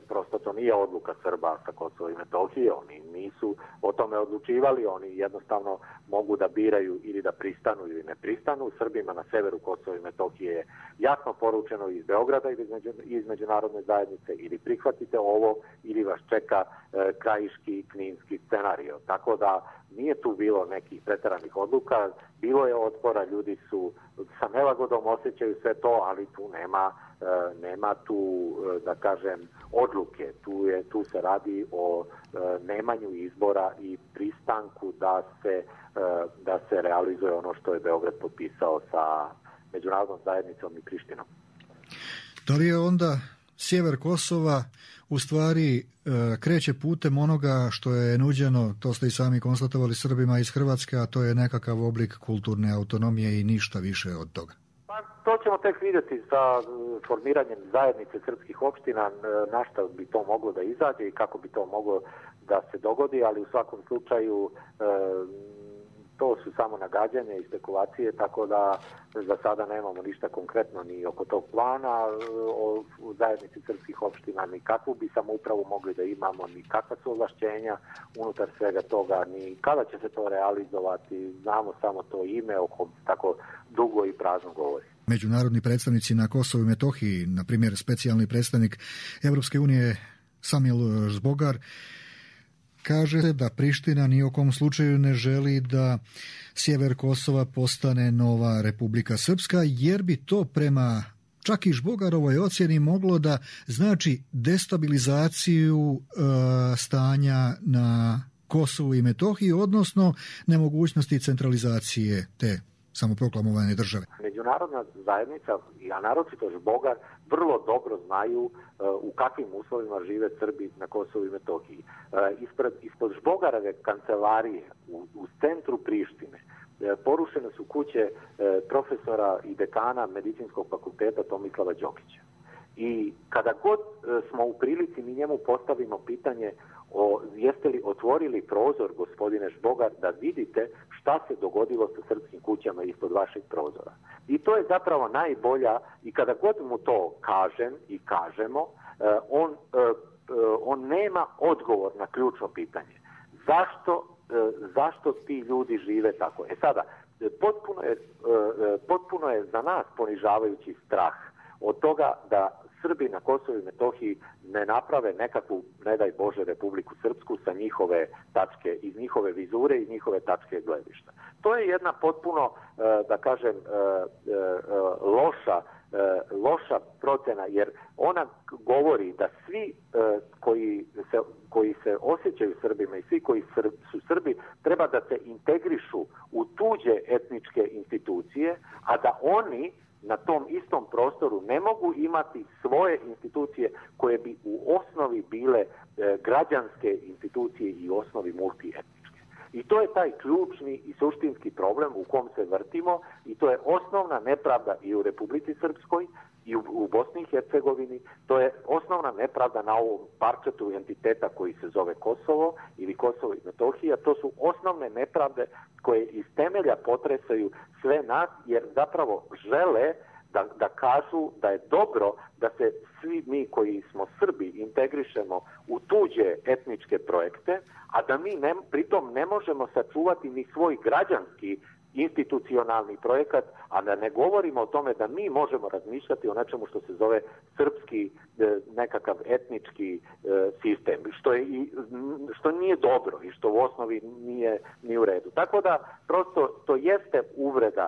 prosto to nije odluka Srba sa Kosova i Metohije, oni nisu o tome odlučivali, oni jednostavno mogu da biraju ili da pristanu ili ne pristanu. Srbima na severu Kosova i Metohije je jasno poručeno iz Beograda ili iz međunarodne zajednice ili prihvatite ovo ili vas čeka krajiški, kninski scenario. Tako da nije tu bilo nekih preteranih odluka, bilo je otpora, ljudi su sa nelagodom osjećaju sve to, ali tu nema tu, da kažem, odluke. Tu se radi o nemanju izbora i pristanku da se realizuje ono što je Beograd potpisao sa međunarodnom zajednicom i Prištinom. Da li je onda sjever Kosova u stvari kreće putem onoga što je nuđeno, to ste i sami konstatovali, Srbima iz Hrvatske, a to je nekakav oblik kulturne autonomije i ništa više od toga? Pa, to ćemo tek vidjeti sa formiranjem zajednice srpskih opština, na šta bi to moglo da izađe i kako bi to moglo da se dogodi, ali u svakom slučaju to su samo nagađanja i spekulacije, tako da za sada nemamo ništa konkretno ni oko tog plana u zajednici srpskih opština, ni kakvu bi samoupravu mogli da imamo, ni kakva su ovlašćenja unutar svega toga, ni kada će se to realizovati, znamo samo to ime o kom tako dugo i prazno govori. Međunarodni predstavnici na Kosovu i Metohiji, na primjer specijalni predstavnik Evropske unije Samil Žbogar, kaže da Priština ni u kom slučaju ne želi da sjever Kosova postane nova Republika Srpska, jer bi to prema čak i Žbogarovoj ocjeni moglo da znači destabilizaciju stanja na Kosovu i Metohiji, odnosno nemogućnosti centralizacije te samoproklamovane države. Međunarodna zajednica, a naročito Žbogar, vrlo dobro znaju u kakvim uslovima žive Srbi na Kosovu i Metohiji. Ispod Žbogarove kancelarije u centru Prištine porušene su kuće profesora i dekana Medicinskog fakulteta Tomislava Đokića. I kada god smo u prilici mi njemu postavimo pitanje jeste li otvorili prozor, gospodine Žbogar, da vidite šta se dogodilo sa srpskim kućama ispod vašeg prozora. I to je zapravo najbolja, i kada god mu to kažem i kažemo, on nema odgovor na ključno pitanje. Zašto ti ljudi žive tako? Sada, potpuno je za nas ponižavajući strah od toga da Srbi na Kosovu i Metohiji ne naprave nekakvu, ne daj Bože, Republiku Srpsku sa njihove tačke, iz njihove vizure i njihove tačke gledišta. To je jedna potpuno, da kažem, loša procena, jer ona govori da svi koji se osjećaju Srbima i svi koji su Srbi treba da se integrišu u tuđe etničke institucije, a da oni na tom istom prostoru ne mogu imati svoje institucije koje bi u osnovi bile građanske institucije i u osnovi multietničke. I to je taj ključni i suštinski problem u kom se vrtimo i to je osnovna nepravda i u Republici Srpskoj i u Bosni i Hercegovini. To je osnovna nepravda na ovom parčetu entiteta koji se zove Kosovo ili Kosovo i Metohija. To su osnovne nepravde koje iz temelja potresaju sve nas, jer zapravo žele da kažu da je dobro da se svi mi koji smo Srbi integrišemo u tuđe etničke projekte, a da mi pritom ne možemo sačuvati ni svoj građanski institucionalni projekat, a da ne govorimo o tome da mi možemo razmišljati o nečemu što se zove srpski nekakav etnički sistem, što nije dobro i što u osnovi nije u redu. Tako da prosto to jeste uvreda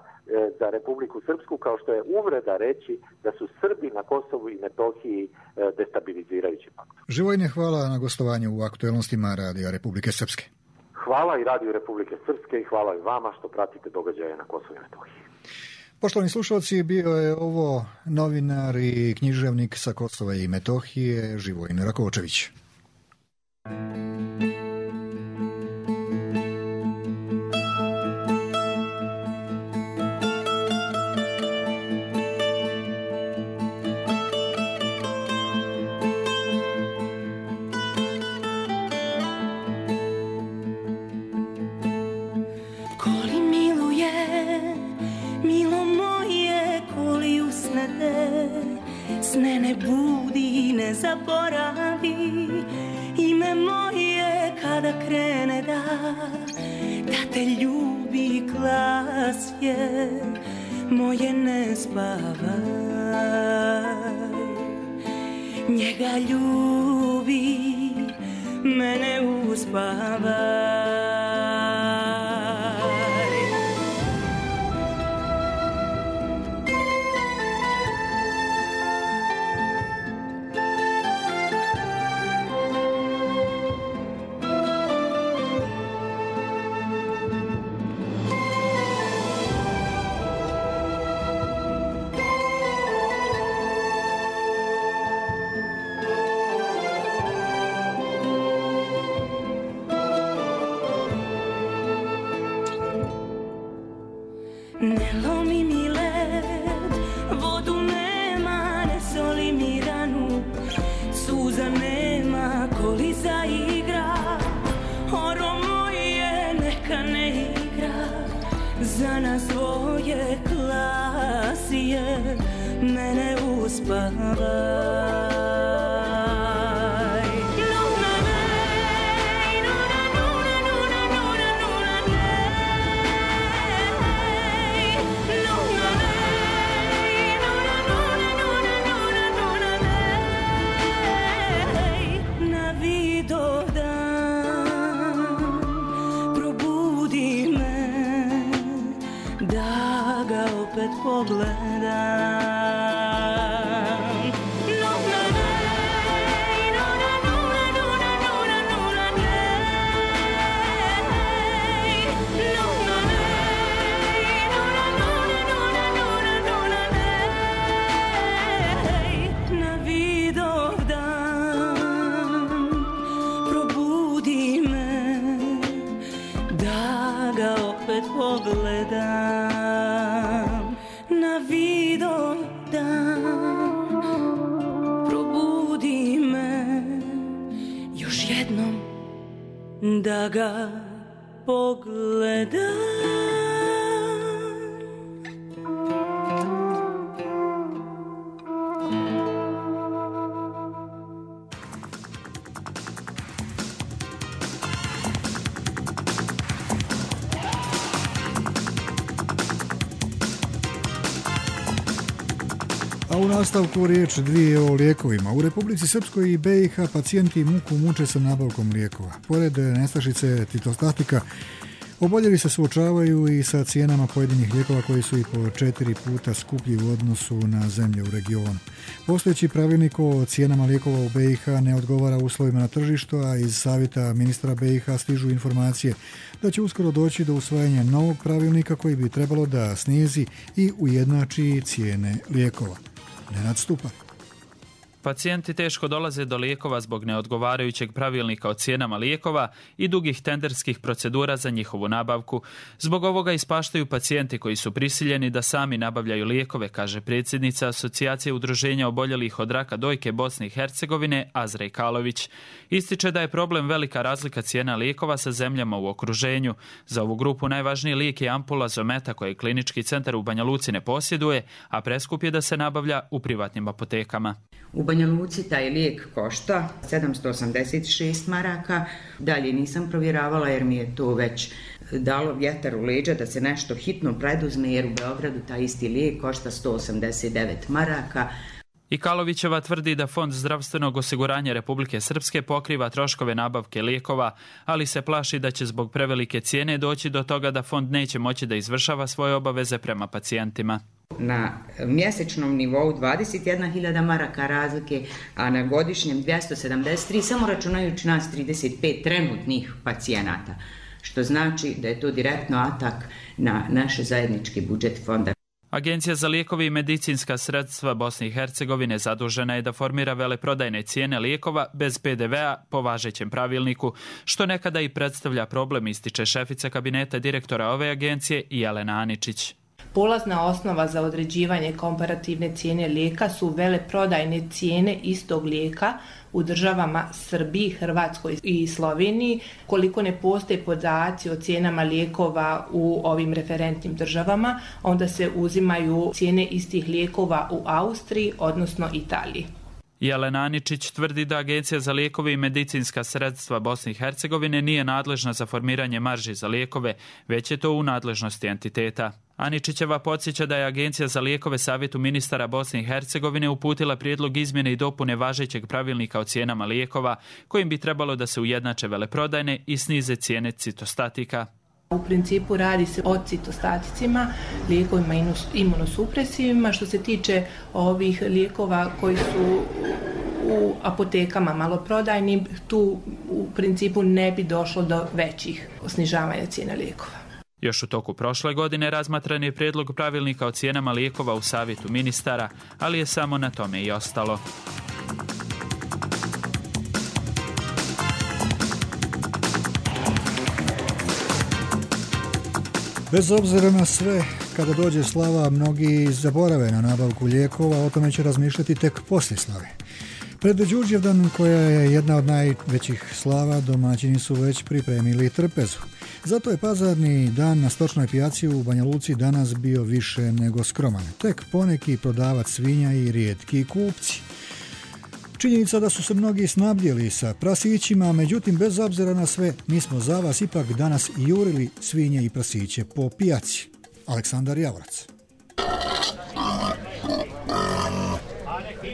za Republiku Srpsku, kao što je uvreda reći da su Srbi na Kosovu i Metohiji destabilizirajući faktor. Živojne, hvala na gostovanju u aktuelnostima Radija Republike Srpske. Hvala i Radiju Republike Srpske i hvala i vama što pratite događaje na Kosovu i Metohiji. Poštovani slušalci, bio je ovo novinar i književnik sa Kosova i Metohije, Živojin Rakočević. Sne ne budi, ne zaboravi ime moje kada krene da te ljubi glas je moje, ne spavaj, njega ljubi, mene uspavaj. Ne lomi mi led, vodu nema, ne soli mi ranu, suza nema, koli zaigra, oro moje neka ne igra, za nas dvoje klasije, mene uspavaj. Da ga pogledam. A u nastavku riječ dvije o lijekovima. U Republici Srpskoj i BiH pacijenti muku muče sa nabavkom lijekova. Pored nestašice citostatika, oboljeli se suočavaju i sa cijenama pojedinih lijekova koji su i po 4 puta skuplji u odnosu na zemlje u regionu. Postojeći pravilnik o cijenama lijekova u BiH ne odgovara uslovima na tržištu, a iz savjeta ministra BiH stižu informacije da će uskoro doći do usvajanja novog pravilnika koji bi trebalo da snizi i ujednači cijene lijekova. Nenad Stupar. Pacijenti teško dolaze do lijekova zbog neodgovarajućeg pravilnika o cijenama lijekova i dugih tenderskih procedura za njihovu nabavku. Zbog ovoga ispaštaju pacijenti koji su prisiljeni da sami nabavljaju lijekove, kaže predsjednica Asocijacije udruženja oboljelih od raka dojke Bosne i Hercegovine Azra Ikalović. Ističe da je problem velika razlika cijena lijekova sa zemljama u okruženju. Za ovu grupu najvažniji lijek je ampula Zometa koje Klinički centar u Banja Luci ne posjeduje, a preskup je da se nabavlja u privatnim apotekama. U Banja Luci taj lijek košta 786 maraka. Dalje nisam provjeravala jer mi je to već dalo vjetar u leđa da se nešto hitno preduzme, jer u Beogradu taj isti lijek košta 189 maraka. Ikalovićeva tvrdi da Fond zdravstvenog osiguranja Republike Srpske pokriva troškove nabavke lijekova, ali se plaši da će zbog prevelike cijene doći do toga da fond neće moći da izvršava svoje obaveze prema pacijentima. Na mjesečnom nivou 21.000 maraka razlike, a na godišnjem 273, samo računajući nas 35 trenutnih pacijenata, što znači da je to direktno atak na naš zajednički budžet fonda. Agencija za lijekove i medicinska sredstva Bosne i Hercegovine zadužena je da formira veleprodajne cijene lijekova bez PDV-a po važećem pravilniku, što nekada i predstavlja problem, ističe šefica kabineta direktora ove agencije Jelena Aničić. Polazna osnova za određivanje komparativne cijene lijeka su veleprodajne cijene istog lijeka u državama Srbiji, Hrvatskoj i Sloveniji. Koliko ne postoje podaci o cijenama lijekova u ovim referentnim državama, onda se uzimaju cijene istih lijekova u Austriji, odnosno Italiji. Jelena Aničić tvrdi da Agencija za lijekove i medicinska sredstva Bosne i Hercegovine nije nadležna za formiranje marži za lijekove, već je to u nadležnosti entiteta. Aničićeva podsjeća da je Agencija za lijekove Savjetu ministara Bosne i Hercegovine uputila prijedlog izmjene i dopune važećeg pravilnika o cijenama lijekova, kojim bi trebalo da se ujednače veleprodajne i snize cijene citostatika. U principu radi se o citostaticima, lijekovima imunosupresivima. Što se tiče ovih lijekova koji su u apotekama maloprodajnim, tu u principu ne bi došlo do većih snižavanja cijena lijekova. Još u toku prošle godine razmatran je prijedlog pravilnika o cijenama lijekova u Savjetu ministara, ali je samo na tome i ostalo. Bez obzira na sve, kada dođe slava, mnogi zaborave na nabavku lijekova, o tome će razmišljati tek poslije slave. Pred Đurđevdan, koja je jedna od najvećih slava, domaćini su već pripremili trpezu. Zato je pazarni dan na stočnoj pijaci u Banja Luci danas bio više nego skroman. Tek poneki prodavac svinja i rijetki kupci. Činjenica da su se mnogi snabdjeli sa prasićima, međutim bez obzira na sve, mi smo za vas ipak danas jurili svinje i prasiće po pijaci. Aleksandar Javorac.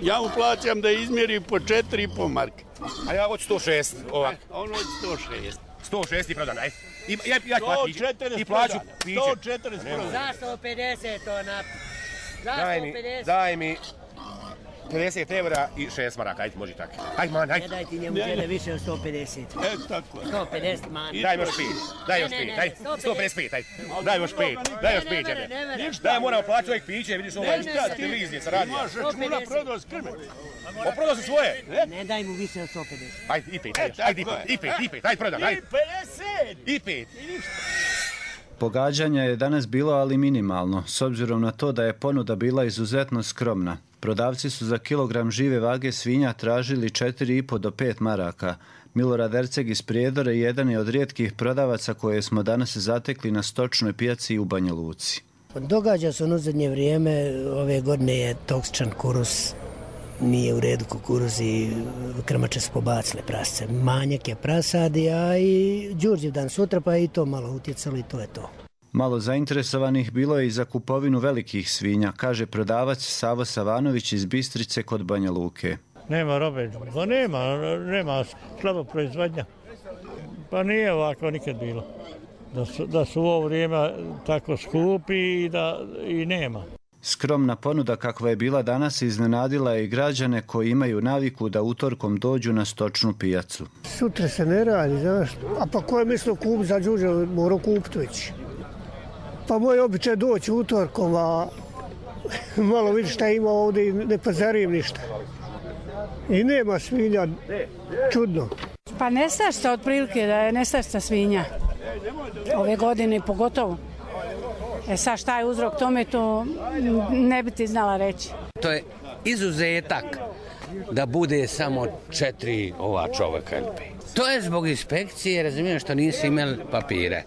Ja mu plaćam da izmjeri po 4,5 marke. A ja hoću 106 ovak. On hoće 106. 106 i prodan, aj. Ja i plaću piće. 140 prodan. Za 150 to na... Za 150. Daj mi 50 evra i 6 maraka, ajde, može tako. Ajde, man, ajde. Ne daj ti njemu žele više od 150. Tako. 150, man. Daj još 5, daj još 5, ajde. 155, ajde. Daj još 5, daj još 5, ajde. Daj, moramo plaćati ovih piće, vidiš ovaj televizije sa radija. Imaš računa, prodao s krme. Oprodao si svoje. Ne daj mu više od 150. Ajde, i 5, ajde, i 5, ajde, prodan, ajde. I 5. Pogađanja je danas bilo, ali minimalno, s obzirom na to da je ponuda bila izuzetno skromna. Prodavci su za kilogram žive vage svinja tražili 4,5 do 5 maraka. Milorad Erceg iz Prijedore jedan je od rijetkih prodavaca koje smo danas zatekli na stočnoj pijaci u Banja Luci. Događa se u zadnje vrijeme, ove godine je toksičan kuruz, nije u redu kukuruz i krmače su pobacile prasce. Manjak je prasadi, a i Đurđevdan sutra pa i to malo utjecalo i to je to. Malo zainteresovanih bilo je i za kupovinu velikih svinja, kaže prodavac Savo Savanović iz Bistrice kod Banja Luke. Nema robe, pa nema slabo proizvodnja. Pa nije ovako nikad bilo. Da su u ovo vrijeme tako skupi i nema. Skromna ponuda kakva je bila danas iznenadila i građane koji imaju naviku da utorkom dođu na stočnu pijacu. Sutra se ne radi, znaš. A pa ko je mislio kup za Đurđev, morao kupiti već. Pa moj običaj doći utorkom, a malo vidi šta ima ovdje i ne pazarim ništa. I nema svinja, čudno. Pa nestašta otprilike da je nestašta svinja. Ove godine pogotovo. Sad šta je uzrok tome, to ne bi ti znala reći. To je izuzetak da bude samo 4 ova čovjeka. To je zbog inspekcije, razumijem, što nisu imali papire.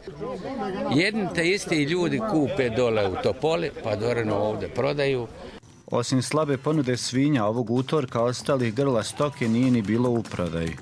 Jedni te isti ljudi kupe dole u Topoli, pa dorano ovdje prodaju. Osim slabe ponude svinja ovog utorka, ostalih grla stoke nije ni bilo u prodaji.